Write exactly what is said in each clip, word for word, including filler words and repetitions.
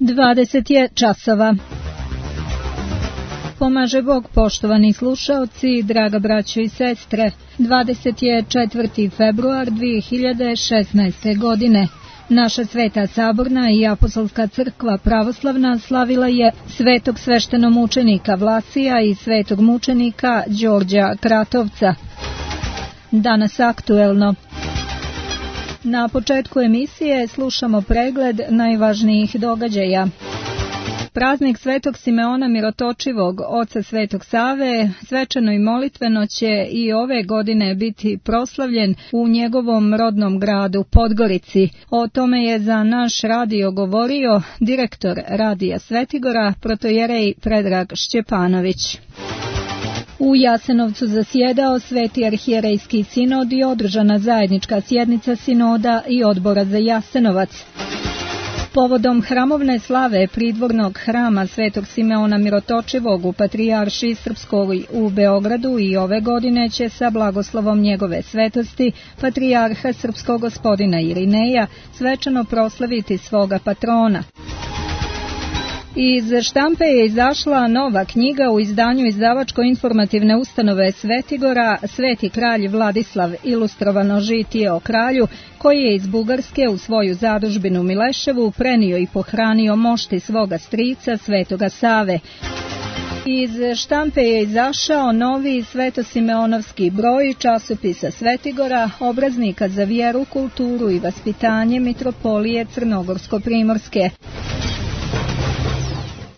dvadeset je časova. Pomaže Bog, poštovani slušaoci, draga braćo i sestre. dvadeset je četvrti februar dvije hiljade šesnaeste. godine. Naša Sveta Saborna i Apostolska crkva pravoslavna slavila je svetog sveštenomučenika Vlasija i svetog mučenika Đorđa Kratovca. Danas aktuelno. Na početku emisije slušamo pregled najvažnijih događaja. Praznik Svetog Simeona Mirotočivog, oca Svetog Save, svečano i molitveno će i ove godine biti proslavljen u njegovom rodnom gradu Podgorici. O tome je za naš radio govorio direktor Radija Svetigora, protojerej Predrag Šćepanović. U Jasenovcu zasjedao Sveti arhijerejski sinod i održana zajednička sjednica sinoda i odbora za Jasenovac. Povodom hramovne slave pridvornog hrama Svetog Simeona Mirotočivog u Patrijaršiji Srpskoj u Beogradu i ove godine će sa blagoslovom njegove svetosti Patrijarha Srpskog gospodina Irineja svečano proslaviti svoga patrona. Iz štampe je izašla nova knjiga u izdanju izdavačko-informativne ustanove Svetigora Sveti kralj Vladislav, ilustrovano žitije o kralju, koji je iz Bugarske u svoju zadužbinu Mileševu prenio i pohranio mošti svoga strica Svetoga Save. Iz štampe je izašao novi Svetosimeonovski broj časopisa Svetigora, obraznika za vjeru, kulturu i vaspitanje Mitropolije Crnogorsko-Primorske.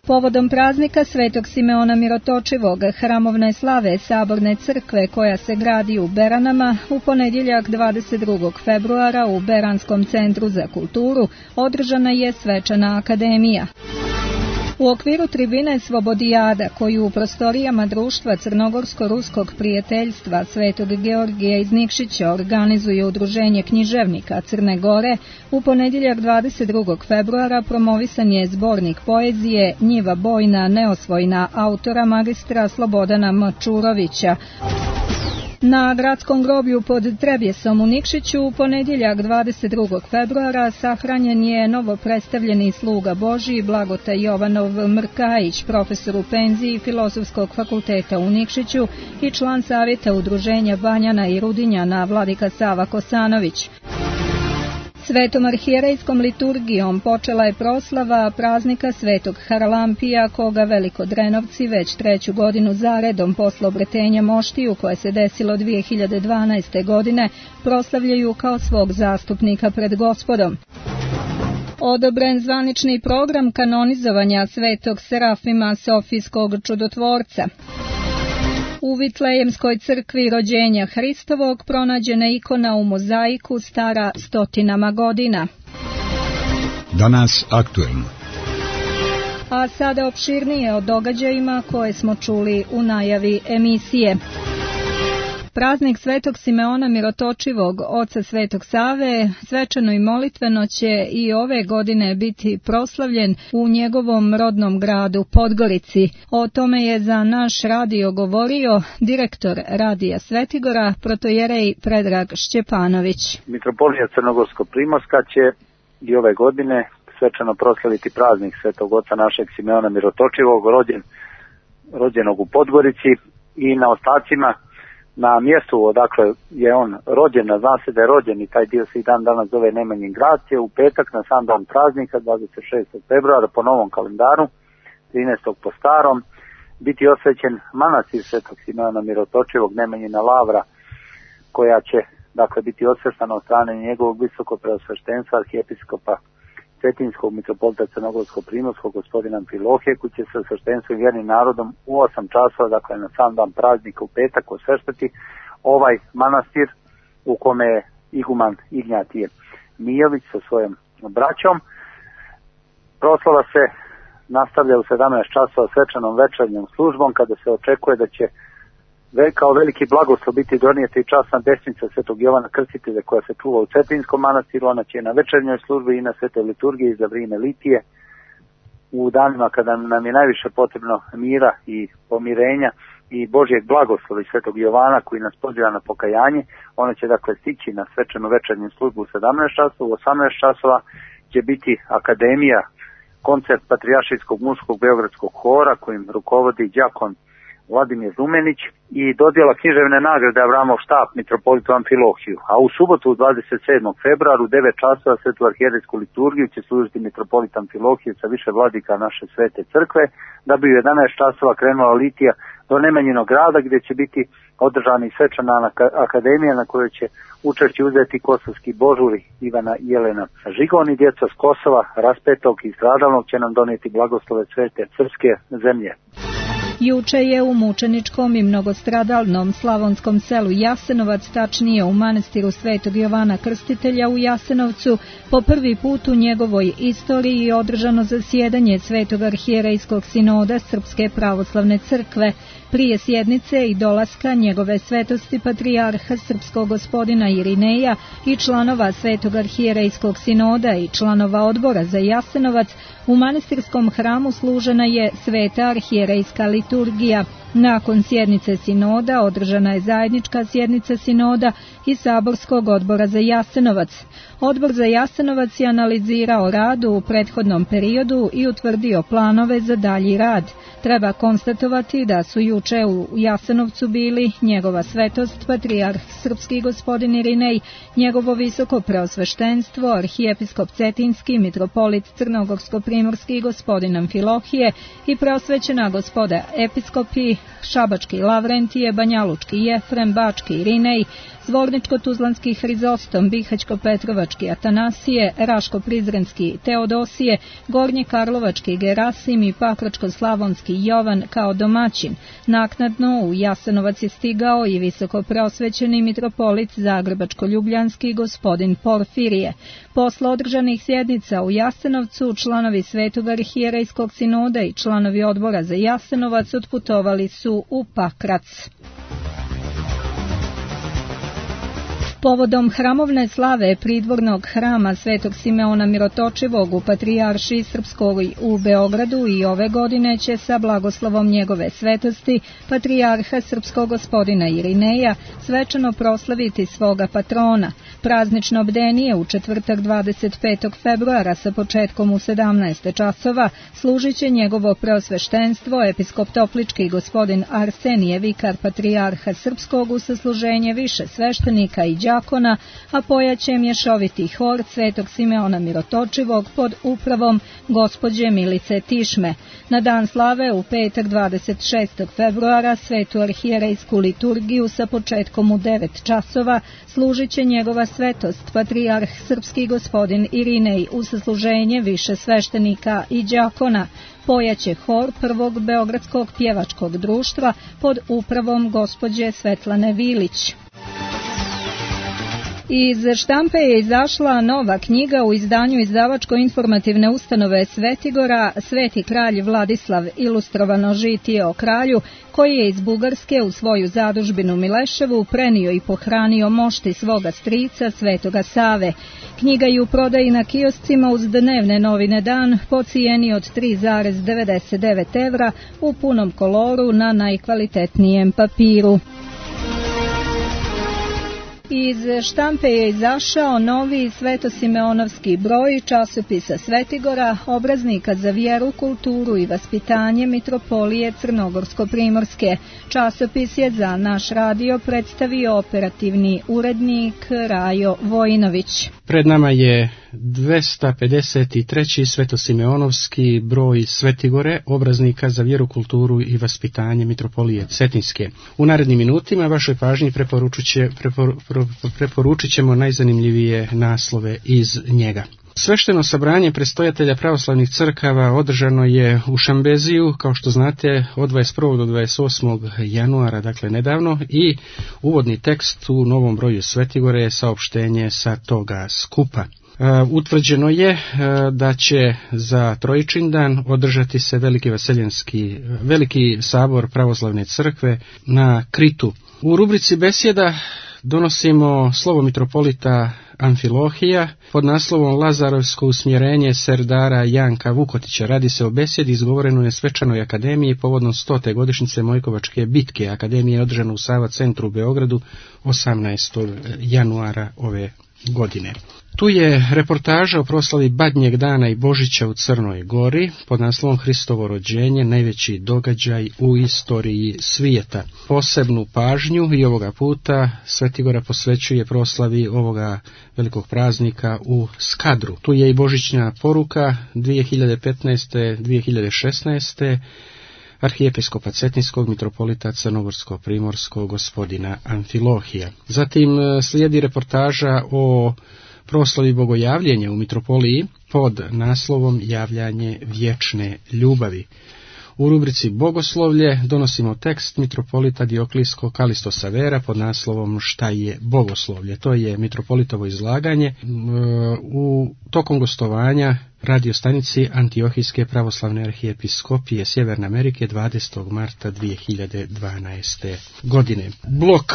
Povodom praznika Svetog Simeona Mirotočivog, hramovne slave Saborne crkve koja se gradi u Beranama, u ponedjeljak dvadeset drugog februara u Beranskom centru za kulturu održana je svečana akademija. U okviru tribine Svobodijada, koju u prostorijama društva Crnogorsko-ruskog prijateljstva Svetog Georgija iz Nikšića organizuje Udruženje književnika Crne Gore, u ponedjeljak dvadeset drugog februara promovisan je zbornik poezije Njiva bojna, neosvojna autora magistra Slobodana Mačurovića. Na gradskom groblju pod Trebjesom u Nikšiću u ponedjeljak dvadeset drugog februara sahranjen je novo predstavljeni sluga Božji Blagotaj Jovanov Mrkajić, profesor u penziji Filozofskog fakulteta u Nikšiću i član savjeta Udruženja Banjana i Rudinjana Vladika Sava Kosanović. Svetom arhijerejskom liturgijom počela je proslava praznika Svetog Haralampija, koga Velikodrenovci već treću godinu zaredom posle obretenja moštiju koje se desilo dvije hiljade dvanaeste. godine proslavljaju kao svog zastupnika pred Gospodom. Odobren zvanični program kanonizovanja Svetog Serafima Sofijskog čudotvorca. U Vitlejemskoj crkvi rođenja Hristovog pronađena ikona u mozaiku stara stotinama godina. Danas aktuelno. A sada opširnije o događajima koje smo čuli u najavi emisije. Praznik Svetog Simeona Mirotočivog, oca Svetog Save, svečano i molitveno će i ove godine biti proslavljen u njegovom rodnom gradu Podgorici. O tome je za naš radio govorio direktor Radija Svetigora, protojerej Predrag Šćepanović. Mitropolija Crnogorsko-Primorska će i ove godine svečano proslaviti praznik Svetog oca našeg Simeona Mirotočivog, rođen, rođenog u Podgorici i na ostacima na mjestu odakle je on rođen, a zna se da je rođen i taj dio se i dan danas zove Nemanjin grad, je u petak na sam dan praznika dvadeset šestog februara po novom kalendaru, trinaestog po starom, biti osvećen manastir Svetog Simeona Mirotočivog Nemanjina Lavra, koja će dakle biti osveštana od strane njegovog visokog preosveštenstva arhijepiskopa Cetinskog mitropolita Crnogorsko-Primorskog gospodina Amfilohije, koji će se osveštenstvom i vjernim narodom u osam časova, dakle na sam dan praznika u petak, osveštati ovaj manastir u kome je iguman Ignjatije Mijović sa svojom braćom. Proslava se nastavlja u sedamnaest časova svečanom večernjom službom, kada se očekuje da će kao veliki blagoslov biti donijeti i časna desnica Svetog Jovana Krstitelja koja se čuva u Cetinskom manastiru. Ona će na večernjoj službi i na svetoj liturgiji za vrijeme litije u danima kada nam je najviše potrebno mira i pomirenja i Božjeg blagoslova i Svetog Jovana koji nas poziva na pokajanje. Ona će dakle stići na svečanu večernju službu u sedamnaest časova. U osamnaest časova će biti akademija koncert Patrijaršijskog muškog beogradskog hora kojim rukovodi đakon Vladimir Rumenić i dodjela književne nagrade Avramov štab mitropolitu Amfilohiju. A u subotu dvadeset sedmog februara u devet časova svetu arhijerejsku liturgiju će služiti mitropolit Amfilohije sa više vladika naše svete crkve, da bi u jedanaest časova krenula litija do Nemanjinog grada gdje će biti održana i svečana akademija na kojoj će učešće uzeti kosovski božuri Ivana i Jelena Žigon i djeca s Kosova, raspetog i stradalnog će nam donijeti blagoslove svete srpske zemlje. Juče je u mučeničkom i mnogostradalnom slavonskom selu Jasenovac, tačnije u manastiru Svetog Jovana Krstitelja u Jasenovcu, po prvi put u njegovoj istoriji održano zasjedanje Svetog arhijerejskog sinoda Srpske pravoslavne crkve. Prije sjednice i dolaska njegove svetosti patrijarha srpskog gospodina Irineja i članova Svetog arhijerejskog sinoda i članova odbora za Jasenovac, u manastirskom hramu služena je sveta arhijerejska liturgija. Nakon sjednice sinoda održana je zajednička sjednica sinoda i saborskog odbora za Jasenovac. Odbor za Jasenovac je analizirao rad u prethodnom periodu i utvrdio planove za dalji rad. Treba konstatovati da su juče u Jasenovcu bili njegova svetost, patrijarh srpski gospodin Irinej, njegovo visoko preosveštenstvo, arhijepiskop Cetinski, mitropolit crnogorsko-primorski gospodin Amfilohije i preosvećena gospoda episkopi Šabački Lavrentije, Banjalučki Jefrem, Bački Irinej, Zvorničko-Tuzlanski Hrizostom, Bihaćko-Petrovački Atanasije, Raško-Prizrenski Teodosije, Gornje-Karlovački Gerasim i Pakračko-Slavonski Jovan kao domaćin. Naknadno u Jasenovac je stigao i visoko preosvećeni mitropolit Zagrebačko-Ljubljanski gospodin Porfirije. Posle održanih sjednica u Jasenovcu, članovi Svetog arhijerejskog sinoda i članovi odbora za Jasenovac otputovali su u Pakrac. Povodom hramovne slave pridvornog hrama Svetog Simeona Mirotočivog u Patrijaršiji Srpskoj u Beogradu i ove godine će sa blagoslovom njegove svetosti patrijarha srpskog gospodina Irineja svečano proslaviti svoga patrona. Praznično bdenije u četvrtak dvadeset petog februara sa početkom u sedamnaest časova služit će njegovo preosveštenstvo episkop Toplički gospodin Arsenije, vikar patrijarha srpskog, u sasluženje više sveštenika i đakona, a pojaće mješoviti hor Svetog Simeona Mirotočivog pod upravom gospođe Milice Tišme. Na dan slave u petak dvadeset šestog februara svetu arhijerejsku liturgiju sa početkom u devet časova služit će njegova svetost patrijarh srpski gospodin Irinej u sasluženje više sveštenika i đakona. Pojaće hor prvog beogradskog pjevačkog društva pod upravom gospođe Svetlane Vilić. Iz štampe je izašla nova knjiga u izdanju izdavačko-informativne ustanove Svetigora Sveti kralj Vladislav, ilustrovano žitije o kralju, koji je iz Bugarske u svoju zadužbinu Mileševu prenio i pohranio mošti svoga strica Svetoga Save. Knjiga je u prodaji na kioscima uz dnevne novine Dan po cijeni od tri zarez devedeset devet evra u punom koloru na najkvalitetnijem papiru. Iz štampe je izašao novi Svetosimeonovski broj časopisa Svetigora, obraznika za vjeru, kulturu i vaspitanje mitropolije Crnogorsko-primorske. Časopis je za naš radio predstavio operativni urednik Rajo Vojinović. Pred nama je dvesta pedeset treći Svetosimeonovski broj Svetigore, obraznika za vjeru, kulturu i vaspitanje mitropolije Cetinske. U narednim minutima vašoj pažnji preporučit ćemo najzanimljivije naslove iz njega. Svešteno sabranje predstojatelja pravoslavnih crkava održano je u Šambeziju, kao što znate, od dvadeset prvog do dvadeset osmog januara, dakle nedavno, i uvodni tekst u novom broju Svetigore je saopštenje sa toga skupa. Uh, utvrđeno je uh, da će za Trojičin dan održati se veliki vaseljenski, veliki sabor pravoslavne crkve na Kritu. U rubrici besjeda donosimo slovo mitropolita Amfilohija pod naslovom Lazarovsko usmjerenje serdara Janka Vukotića. Radi se o besjedi izgovorenoj na svečanoj akademiji povodom stote godišnjice Mojkovačke bitke. Akademija je održana u Sava centru u Beogradu osamnaestog januara ove godine. Tu je reportaža o proslavi Badnjeg dana i Božića u Crnoj Gori pod naslovom Hristovo rođenje, najveći događaj u istoriji svijeta. Posebnu pažnju i ovoga puta Svetigora posvećuje proslavi ovoga velikog praznika u Skadru. Tu je i božićna poruka dvije hiljade petnaeste dvije hiljade šesnaeste arhijepiskopa Cetinskog mitropolita Crnogorsko-primorskog gospodina Amfilohija. Zatim slijedi reportaža o proslavi bogojavljenja u mitropoliji pod naslovom Javljanje vječne ljubavi. U rubrici Bogoslovlje donosimo tekst mitropolita Dioklijskog Kalisto Savera pod naslovom Šta je bogoslovlje. To je mitropolitovo izlaganje u tokom gostovanja radio stanici Antiohijske pravoslavne arhijepiskopije Sjeverne Amerike dvadesetog marta dvije hiljade dvanaeste. godine. Blok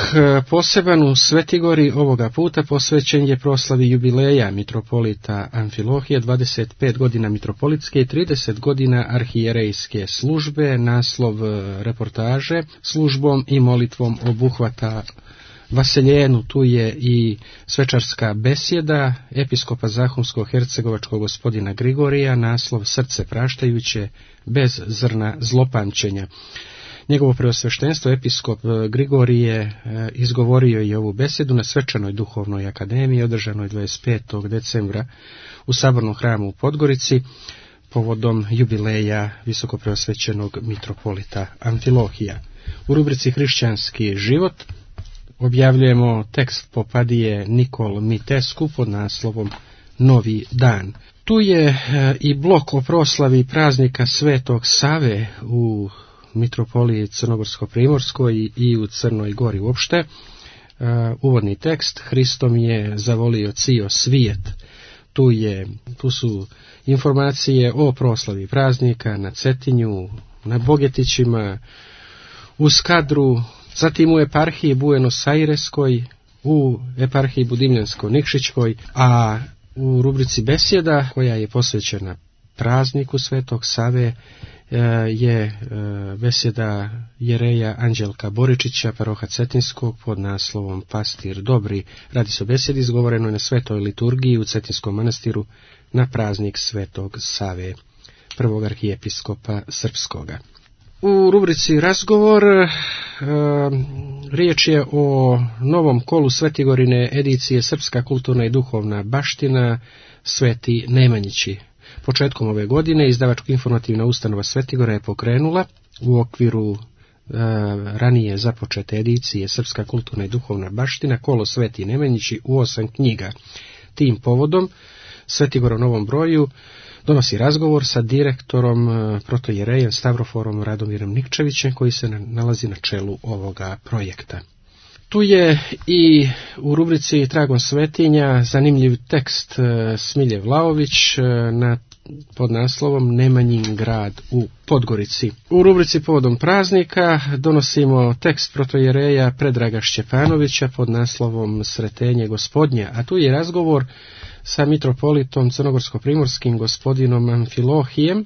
poseban u Svetigori ovoga puta posvećen je proslavi jubileja mitropolita Amfilohije, dvadeset pet godina mitropolitske i trideset godina arhijerejske službe. Naslov reportaže službom i molitvom obuhvata Vaseljenu. Tu je i svečarska besjeda episkopa Zahumsko-hercegovačkog gospodina Grigorija, naslov Srce praštajuće bez zrna zlopamćenja. Njegovo preosveštenstvo episkop Grigorije izgovorio je ovu besjedu na svečanoj duhovnoj akademiji održanoj dvadeset petog decembra u Sabornom hramu u Podgorici povodom jubileja visokopreosvećenog mitropolita Amfilohija. U rubrici Hrišćanski život objavljujemo tekst popadije Nikol Mitesku pod naslovom Novi dan. Tu je i blok o proslavi praznika Svetog Save u mitropoliji Crnogorsko-primorskoj i u Crnoj Gori uopšte. Uvodni tekst: Hristom je zavolio cio svijet. Tu, je, tu su informacije o proslavi praznika na Cetinju, na Bogetićima, u Skadru, zatim u eparhiji Buenos Aireskoj, u eparhiji Budimljansko-Nikšićkoj, a u rubrici besjeda koja je posvećena prazniku Svetog Save je besjeda jereja Anđelka Boričića, paroha Cetinskog pod naslovom Pastir dobri. Radi se o besjedi izgovorenoj na svetoj liturgiji u Cetinskom manastiru na praznik Svetog Save, prvog arhijepiskopa srpskoga. U rubrici Razgovor e, riječ je o novom kolu Svetigorine edicije Srpska kulturna i duhovna baština Sveti Nemanjići. Početkom ove godine izdavačko-informativna ustanova Svetigora je pokrenula u okviru e, ranije započete edicije Srpska kulturna i duhovna baština kolo Sveti Nemanjići u osam knjiga. Tim povodom Svetigor u novom broju donosi razgovor sa direktorom protojerejem Stavroforom Radomirom Nikčevićem, koji se nalazi na čelu ovoga projekta. Tu je i u rubrici Tragom svetinja zanimljiv tekst Smilje Vlaović na pod naslovom Nemanjin grad u Podgorici. U rubrici Povodom praznika donosimo tekst protojereja Predraga Šćepanovića pod naslovom Sretenje gospodnja, a tu je razgovor sa mitropolitom crnogorsko-primorskim gospodinom Amfilohijem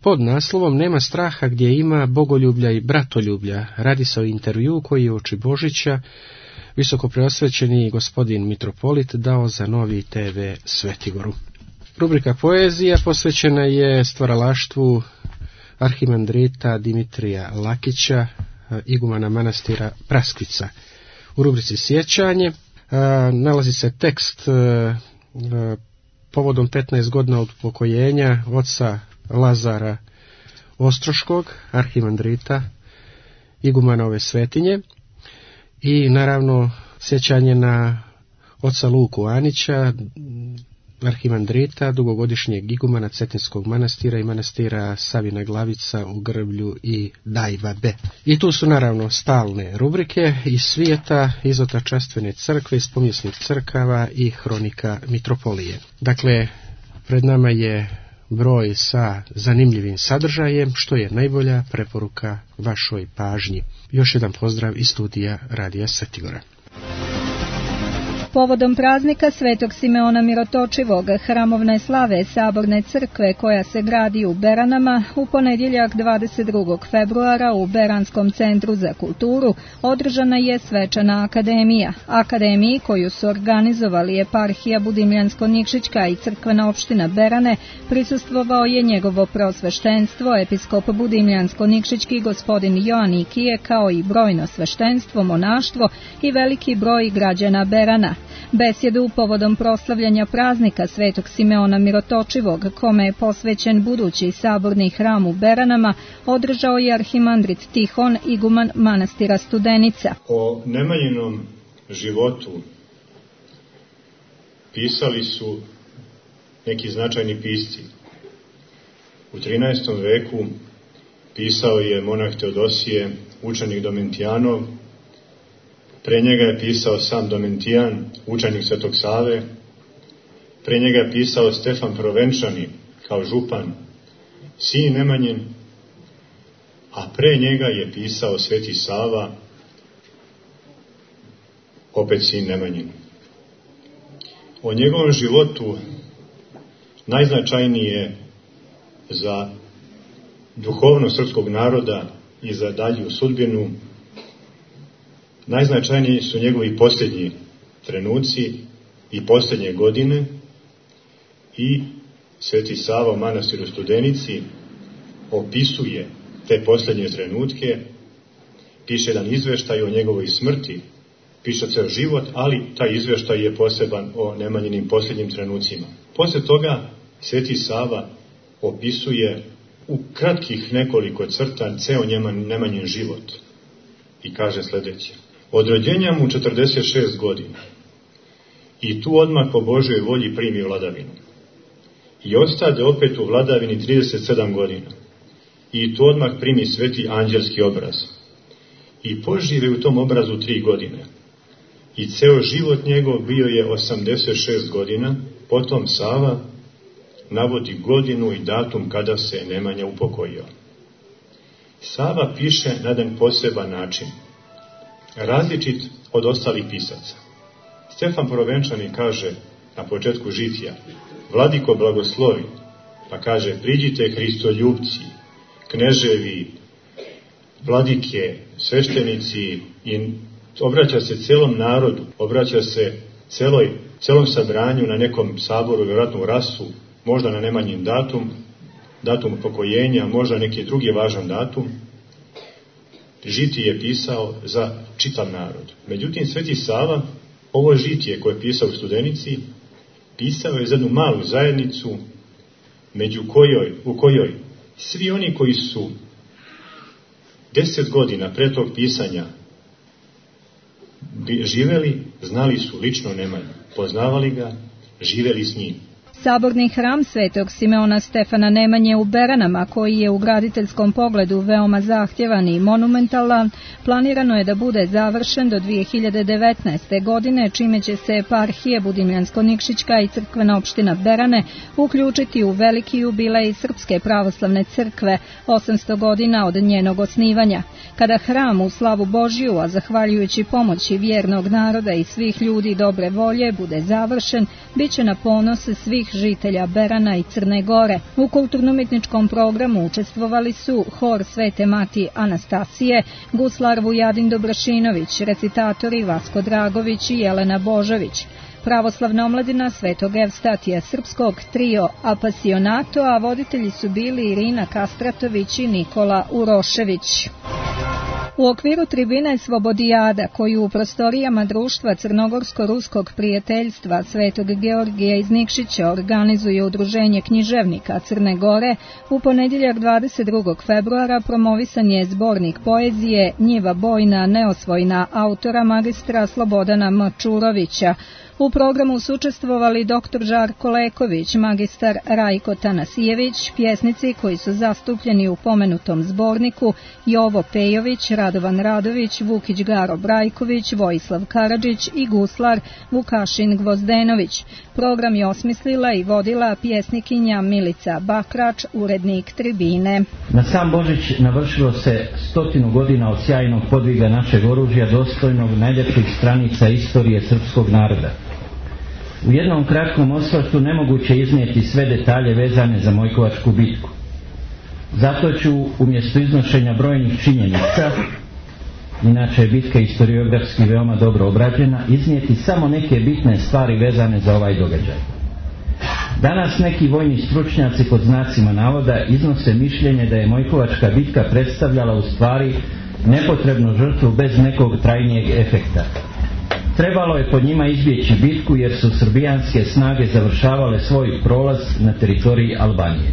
pod naslovom Nema straha gdje ima bogoljublja i bratoljublja. Radi se o intervju koji je uoči Božića visokopreosvećeni gospodin mitropolit dao za Novi te ve Svetigoru. Rubrika Poezija posvećena je stvaralaštvu arhimandrita Dimitrija Lakića, igumana manastira Praskvica. U rubrici Sjećanje nalazi se tekst povodom petnaest godina od upokojenja oca Lazara Ostroškog, arhimandrita, igumana ove svetinje, i naravno sjećanje na oca Luku Anića, arhimandrita, dugogodišnjeg igumana Cetinskog manastira i manastira Savina Glavica u Grblju i Dajvabe. I tu su naravno stalne rubrike iz svijeta, iz Otačastvene crkve, iz pomjesnih crkava i hronika mitropolije. Dakle, pred nama je broj sa zanimljivim sadržajem, što je najbolja preporuka vašoj pažnji. Još jedan pozdrav iz studija Radija Svetigora. Povodom praznika Svetog Simeona Mirotočivog, hramovne slave Saborne crkve koja se gradi u Beranama, u ponedjeljak dvadeset drugog februara u Beranskom centru za kulturu održana je svečana akademija. Akademiji koju su organizovali eparhija Budimljansko-Nikšićka i crkvena opština Berane prisustvovao je njegovo prosveštenstvo, episkop Budimljansko-Nikšićki gospodin Joanikije, kao i brojno sveštenstvo, monaštvo i veliki broj građana Berana. Besjedu povodom proslavljanja praznika Svetog Simeona Mirotočivog, kome je posvećen budući saborni hram u Beranama, održao je arhimandrit Tihon, iguman manastira Studenica. O Nemanjinom životu pisali su neki značajni pisci. U trinaestom veku pisao je monah Teodosije, učenik Domentijanov. Pre njega je pisao sam Domentijan, učenik Svetog Save. Pre njega je pisao Stefan Provenčani kao župan, sin Nemanjin, a pre njega je pisao Sveti Sava, opet sin Nemanjin. O njegovom životu najznačajnije za duhovnost srpskog naroda i za dalju sudbinu, najznačajniji su njegovi posljednji trenuci i posljednje godine, i Sveti Sava u manastiru Studenici opisuje te posljednje trenutke, piše jedan izveštaj o njegovoj smrti, piše ceo život, ali taj izveštaj je poseban o Nemanjinim posljednjim trenucima. Posle toga Sveti Sava opisuje u kratkih nekoliko crta ceo Nemanjin život i kaže sljedeće: od rođenja mu četrdeset šest godina i tu odmah po Božoj volji primi vladavinu i ostade opet u vladavini trideset sedam godina i tu odmah primi sveti anđelski obraz i požive u tom obrazu tri godine i ceo život njegov bio je osamdeset šest godina. Potom Sava navodi godinu i datum kada se Nemanja upokojio. Sava piše na jedan poseban način, različit od ostalih pisaca. Stefan Provenčani kaže na početku žitija: Vladiko blagoslovi, pa kaže: priđite Hristoljupci, kneževi, vladike, sveštenici, i obraća se celom narodu, obraća se celoj, celom sabranju na nekom saboru, vjerojatno u rasu, možda na Nemanjin datum, datum upokojenja, možda neki drugi važan datum. Žitije je pisao za čitav narod. Međutim, Sveti Sava ovo žitije koje je pisao u Studenici pisao je za jednu malu zajednicu među kojoj, u kojoj svi oni koji su deset godina pre tog pisanja živeli, znali su lično Nemanju, poznavali ga, živeli s njim. Saborni hram Svetog Simeona Stefana Nemanje u Beranama, koji je u graditeljskom pogledu veoma zahtjevan i monumentalan, planirano je da bude završen do dvije hiljade devetnaeste. godine, čime će se eparhije Budimljansko-Nikšićka i crkvena opština Berane uključiti u veliki jubilej Srpske pravoslavne crkve, osamsto godina od njenog osnivanja. Kada hram u slavu Božiju, a zahvaljujući pomoći vjernog naroda i svih ljudi dobre volje, bude završen, bit će na ponos svih žitelja Berana i Crne Gore. U kulturno-umjetničkom programu učestvovali su hor Svete Mati Anastasije, guslar Vujadin Dobrašinović, recitatori Vasko Dragović i Jelena Božović, pravoslavna omladina Svetog Evstatija srpskog, trio Apasionato, a voditelji su bili Irina Kastratović i Nikola Urošević. U okviru tribine Svobodijada, koju u prostorijama društva Crnogorsko-ruskog prijateljstva Svetog Georgija iz Nikšića organizuje Udruženje književnika Crne Gore, u ponedjeljak dvadeset drugog februara promovisan je zbornik poezije Njiva bojna, neosvojna autora magistra Slobodana M. Čurovića. U programu su učestvovali doktor Žarko Leković, magistar Rajko Tanasijević, pjesnici koji su zastupljeni u pomenutom zborniku Jovo Pejović, Radovan Radović, Vukić Garo Brajković, Vojislav Karadžić i guslar Vukašin Gvozdenović. Program je osmislila i vodila pjesnikinja Milica Bakrač, urednik Tribine. Na sam Božić navršilo se stotinu godina od sjajnog podviga našeg oružja, dostojnog najljepših stranica istorije srpskog naroda. U jednom kratkom osvrtu nemoguće iznijeti sve detalje vezane za Mojkovačku bitku. Zato ću umjesto iznošenja brojnih činjenica, inače je bitka historiografski veoma dobro obrađena, iznijeti samo neke bitne stvari vezane za ovaj događaj. Danas neki vojni stručnjaci pod znacima navoda iznose mišljenje da je Mojkovačka bitka predstavljala u stvari nepotrebnu žrtvu bez nekog trajnijeg efekta. Trebalo je pod njima izbjeći bitku jer su srbijanske snage završavale svoj prolaz na teritoriji Albanije.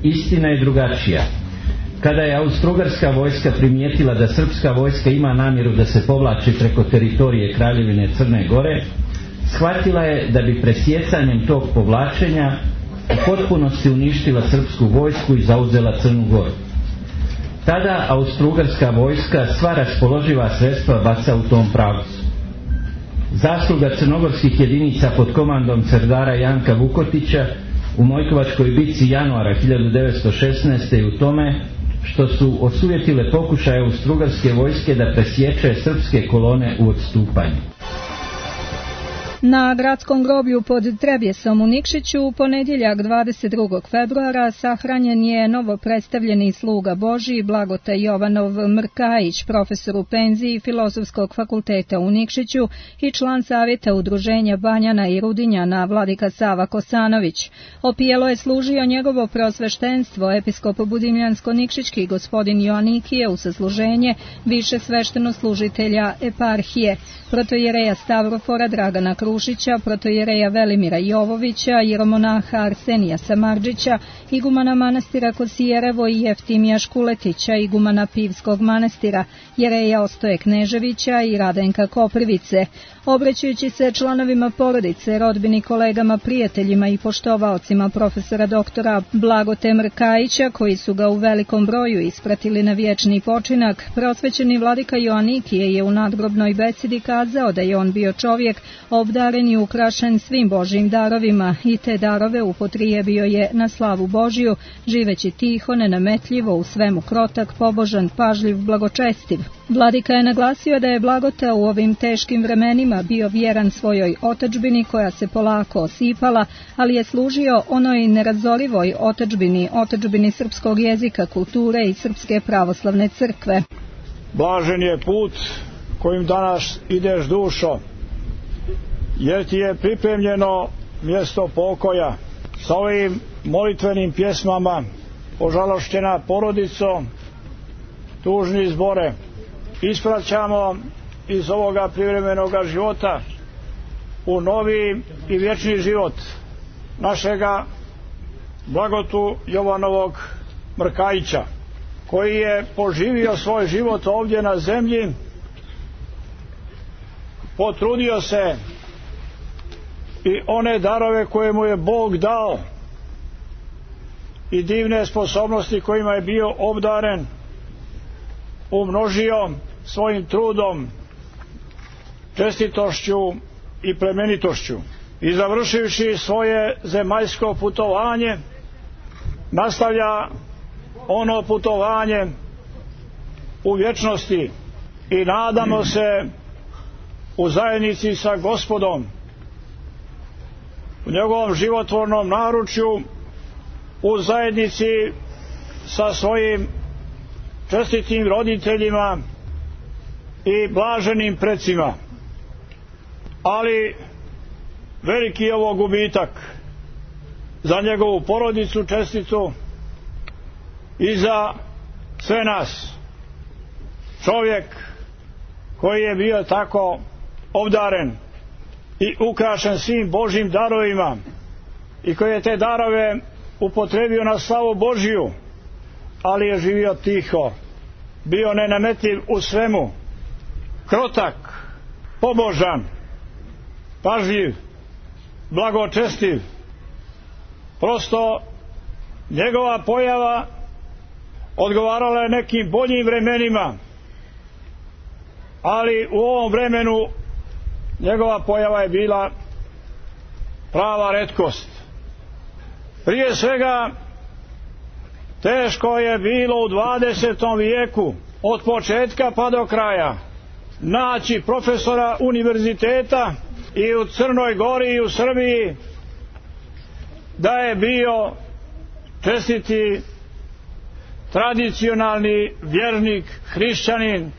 Istina je drugačija. Kada je austrougarska vojska primijetila da srpska vojska ima namjeru da se povlači preko teritorije Kraljevine Crne Gore, shvatila je da bi presjecanjem tog povlačenja u potpunosti uništila srpsku vojsku i zauzela Crnu Goru. Tada austrougarska vojska sva raspoloživa sredstva baca u tom pravcu. Zasluga crnogorskih jedinica pod komandom serdara Janka Vukotića u Mojkovačkoj bitci januara hiljadu devetsto šesnaeste je u tome što su osujetile pokušaje austrougarske vojske da presječe srpske kolone u odstupanju. Na gradskom groblju pod Trebjesom u Nikšiću u ponedjeljak dvadeset drugog februara sahranjen je novo predstavljeni sluga Božji Blagota Jovanov Mrkajić, profesor u penziji Filozofskog fakulteta u Nikšiću i član savjeta udruženja Banjana i Rudinjana vladika Sava Kosanović. Opijelo je služio njegovo preosveštenstvo episkop Budimljansko-Nikšićki gospodin Joanikije u sasluženje više svešteno-služitelja eparhije, protojereja Stavrofora Dragana Krušića, protojereja Velimira Jovovića, jeromonaha Arsenija Samardžića, igumana manastira Kosijerevo i Jeftimija Škuletića, igumana Pivskog manastira, jereja Ostoje Kneževića i Radenka Koprivice. Obraćajući se članovima porodice, rodbini, kolegama, prijateljima i poštovaocima profesora doktora Blagote Mrkajića, koji su ga u velikom broju ispratili na vječni počinak, prosvećeni vladika Joanikije je u nadgrobnoj besedi kazao da je on bio čovjek obdaren i ukrašen svim Božjim darovima i te darove upotrijebio je na slavu Božju, živeći tiho, nenametljivo, u svemu krotak, pobožan, pažljiv, blagočestiv. Vladika je naglasio da je Blagota u ovim teškim vremenima bio vjeran svojoj otadžbini koja se polako osipala, ali je služio onoj nerazorivoj otadžbini, otadžbini srpskog jezika, kulture i Srpske pravoslavne crkve. Blažen je put kojim danas ideš, dušo, jer ti je pripremljeno mjesto pokoja. Sa ovim molitvenim pjesmama ožalošćena porodico, tužni zbore, ispraćamo iz ovoga privremenoga života u novi i vječni život našega Blagotu Jovanovog Mrkajića, koji je poživio svoj život ovdje na zemlji, potrudio se i one darove koje mu je Bog dao i divne sposobnosti kojima je bio obdaren umnožio svojim trudom, čestitošću i plemenitošću. I završivši svoje zemaljsko putovanje, nastavlja ono putovanje u vječnosti i nadamo se u zajednici sa Gospodom, u njegovom životvornom naručju, u zajednici sa svojim čestitim roditeljima i blaženim precima. Ali veliki je ovo gubitak za njegovu porodicu čestitu i za sve nas. Čovjek koji je bio tako obdaren i ukrašen svim Božjim darovima i koji je te darove upotrebio na slavu Božju, ali je živio tiho, bio nenametljiv u svemu, krotak, pobožan pažljiv, blagočestiv. Prosto njegova pojava odgovarala je nekim boljim vremenima, ali u ovom vremenu njegova pojava je bila prava retkost. Prije svega, teško je bilo u dvadesetom vijeku od početka pa do kraja naći profesora univerziteta i u Crnoj Gori i u Srbiji da je bio čestiti tradicionalni vjernik, hrišćanin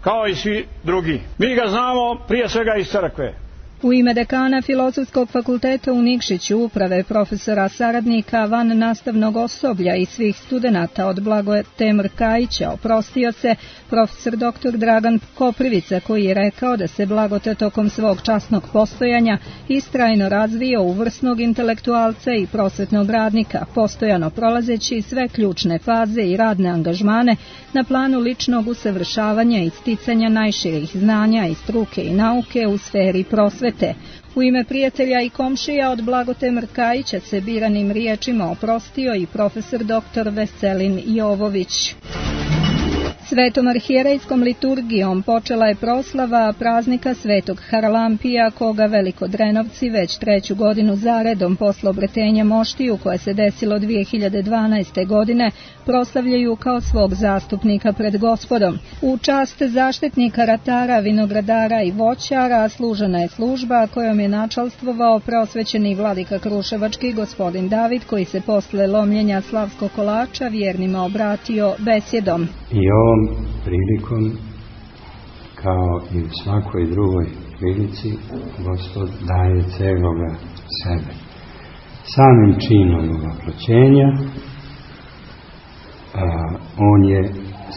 kao i svi drugi. Mi ga znamo prije svega iz crkve. U ime dekana Filozofskog fakulteta u Nikšiću, uprave, profesora, saradnika, van nastavnog osoblja i svih studenata od Blagoje Mrkajića oprostio se profesor doktor Dragan Koprivica, koji je rekao da se Blagote tokom svog časnog postojanja istrajno razvio u vrsnog intelektualca i prosvetnog radnika, postojano prolazeći sve ključne faze i radne angažmane na planu ličnog usavršavanja i sticanja najširih znanja i struke i nauke u sferi prosvete. U ime prijatelja i komšija od Blagote Mrkajića se biranim riječima oprostio i profesor doktor Veselin Jovović. Svetom arhijerejskom liturgijom počela je proslava praznika Svetog Haralampija, koga Velikodrenovci već treću godinu zaredom posle obretenja moštiju, koje se desilo dvije hiljade dvanaeste. godine, proslavljaju kao svog zastupnika pred Gospodom. U čast zaštitnika ratara, vinogradara i voćara služena je služba kojom je načalstvovao preosvećeni vladika Kruševački gospodin David, koji se posle lomljenja slavskog kolača vjernima obratio besjedom. I ovom prilikom, kao i u svakoj drugoj prilici, Gospod daje celoga sebe. Samim činom oproćenja, on je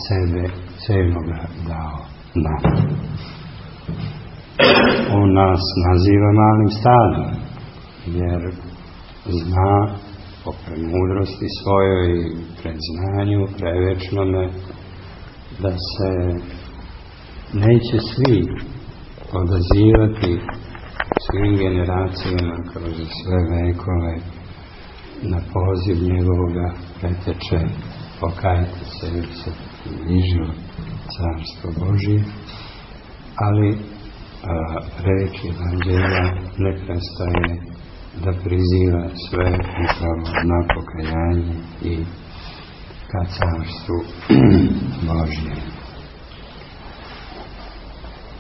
sebe celoga dao nam. On nas naziva malim stadom, jer zna po premudrosti svojoj i predznanju prevečnome da se neće svi odazivati svim generacijama kroz sve vekove na poziv njegovoga preteče pokajte se jer se bližilo Carstvo Božije, ali a, reč Evanđelja ne prestaje da priziva sve upravo na pokajanje i ka Carstvu Božje.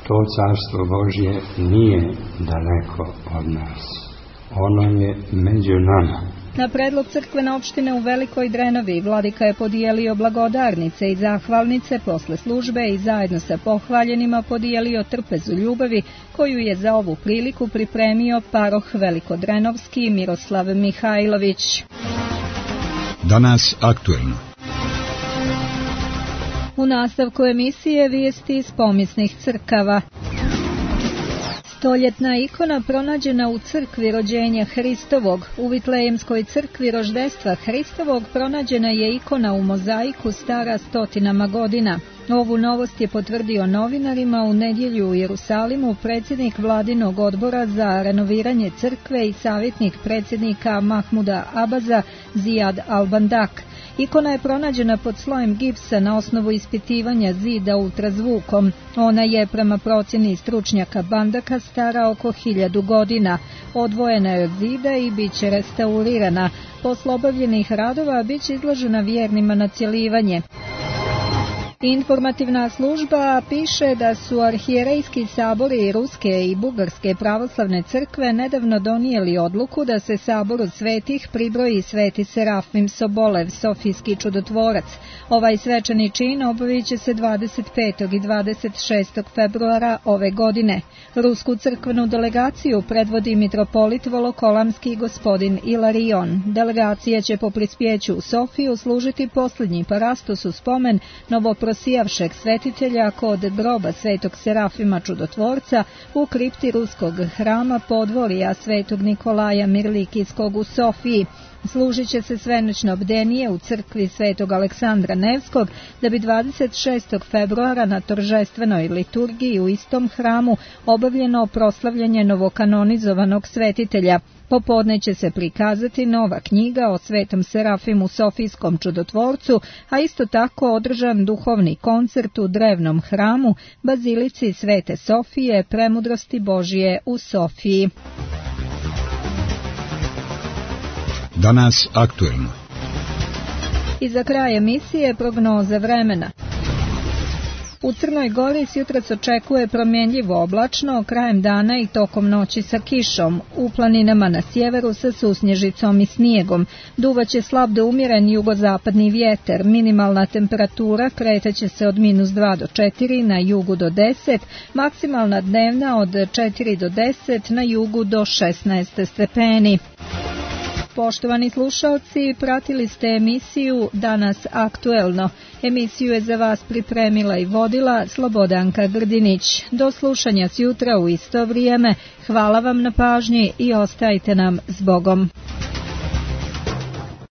To Carstvo Božje nije daleko od nas. Ono je među nama. Na predlog crkvene opštine u Velikoj Drenovi vladika je podijelio blagodarnice i zahvalnice posle službe i zajedno sa pohvaljenima podijelio trpezu ljubavi koju je za ovu priliku pripremio paroh Velikodrenovski Miroslav Mihajlović. Danas aktuelno. U nastavku emisije vijesti iz pomisnih crkava. Stoljetna ikona pronađena u crkvi rođenja Hristovog. U Vitlejemskoj crkvi roždestva Hristovog pronađena je ikona u mozaiku stara stotinama godina. Ovu novost je potvrdio novinarima u nedjelju u Jerusalimu predsjednik vladinog odbora za renoviranje crkve i savjetnik predsjednika Mahmuda Abaza Zijad Al-Bandak. Ikona je pronađena pod slojem gipsa na osnovu ispitivanja zida ultrazvukom. Ona je prema procjeni stručnjaka Bandaka stara oko hiljadu godina. Odvojena je od zida i bit će restaurirana. Posle obavljenih radova bit će izložena vjernima na cjelivanje. Informativna služba piše da su arhijerejski sabori Ruske i Bugarske pravoslavne crkve nedavno donijeli odluku da se saboru svetih pribroji sveti Serafim Sobolev, Sofijski čudotvorac. Ovaj svečani čin obavit će se dvadeset petog i dvadeset šestog februara ove godine. Rusku crkvenu delegaciju predvodi mitropolit Volokolamski gospodin Ilarion. Delegacija će po prispjeću u Sofiju služiti posljednji parastos u spomen novopro prosijavšeg svetitelja kod groba svetog Serafima Čudotvorca u kripti ruskog hrama podvorija svetog Nikolaja Mirlikijskog u Sofiji. Služit će se svenoćno bdenije u crkvi svetog Aleksandra Nevskog, da bi dvadeset šestog februara na toržestvenoj liturgiji u istom hramu obavljeno proslavljanje novokanonizovanog svetitelja. Popodne će se prikazati nova knjiga o svetom Serafimu Sofijskom čudotvorcu, a isto tako održan duhovni koncert u drevnom hramu, bazilici Svete Sofije, Premudrosti Božije u Sofiji. Danas aktuelno. I za kraj emisije prognoza vremena. U Crnoj Gori sjutrac očekuje promjenljivo oblačno, krajem dana i tokom noći sa kišom, u planinama na sjeveru sa susnježicom i snijegom. Duvaće slab do umjeren jugozapadni vjetar, minimalna temperatura kretaće se od minus dva do četiri, na jugu do deset, maksimalna dnevna od četiri do deset, na jugu do šesnaest stepeni. Poštovani slušalci, pratili ste emisiju Danas aktuelno. Emisiju je za vas pripremila i vodila Slobodanka Grdinić. Do slušanja sjutra u isto vrijeme. Hvala vam na pažnji i ostajte nam s Bogom.